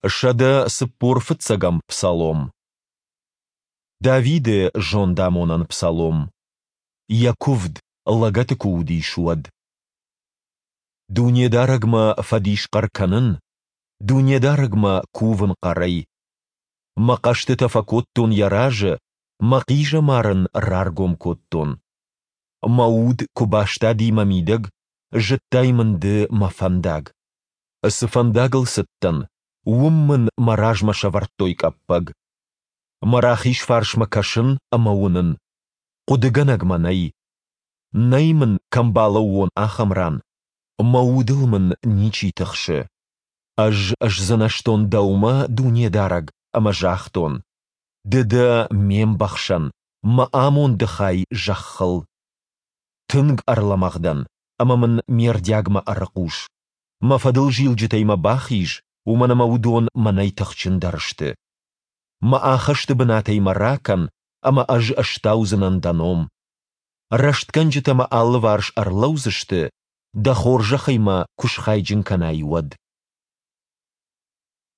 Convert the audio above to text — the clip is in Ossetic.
145-ӕм псалом. Давиды зондамонӕн псалом. Йӕ куывд, лӕгӕты куы уыдис, уӕд. Дунедарӕгмӕ фӕдисхъӕр кӕнын, Дунедарӕгмӕ кувын хъӕрӕй. Мӕ хъӕстытӕ фӕкодтон Йӕ разы, мӕ хъизӕмар Ын раргом кодтон. Мӕ уд куы бастади мӕ мидӕг, зыдтай мын Ды мӕ фӕндаг. Цы фӕндагыл цыдтӕн, уым мын мӕ размӕ сӕвӕрдтой къӕппӕг. Мӕ рахиз фарсмӕ кӕсын ӕмӕ уынын, хъуыдыгӕнӕг мӕ нӕй. Нӕй мын, кӕм балӕууон, ахӕм ран, мӕ удыл мын ничи тыхсы. Ӕз сдзынӕзтон Дӕумӕ, Дунедарӕг, ӕмӕ загътон: Ды дӕ ме мбӕхсӕн, мӕ амонды хай зӕххыл. Тынг ӕрлӕмӕгъ дӕн, ӕмӕ мын ме рдиагмӕ ӕрыхъус. Мӕ фӕдылзилджытӕй мӕ бахиз, уымӕн ӕмӕ уыдон мӕнӕй тыхджындӕр сты. Мӕ ахӕсты бынатӕй мӕ ракӕн, ӕмӕ ӕз стаудзынӕн дӕ ном. Рӕстгӕнджытӕ мӕ алыварс ӕрлӕудзысты, дӕ хорзӕхӕй мӕ куы схайджын кӕнай, уӕд.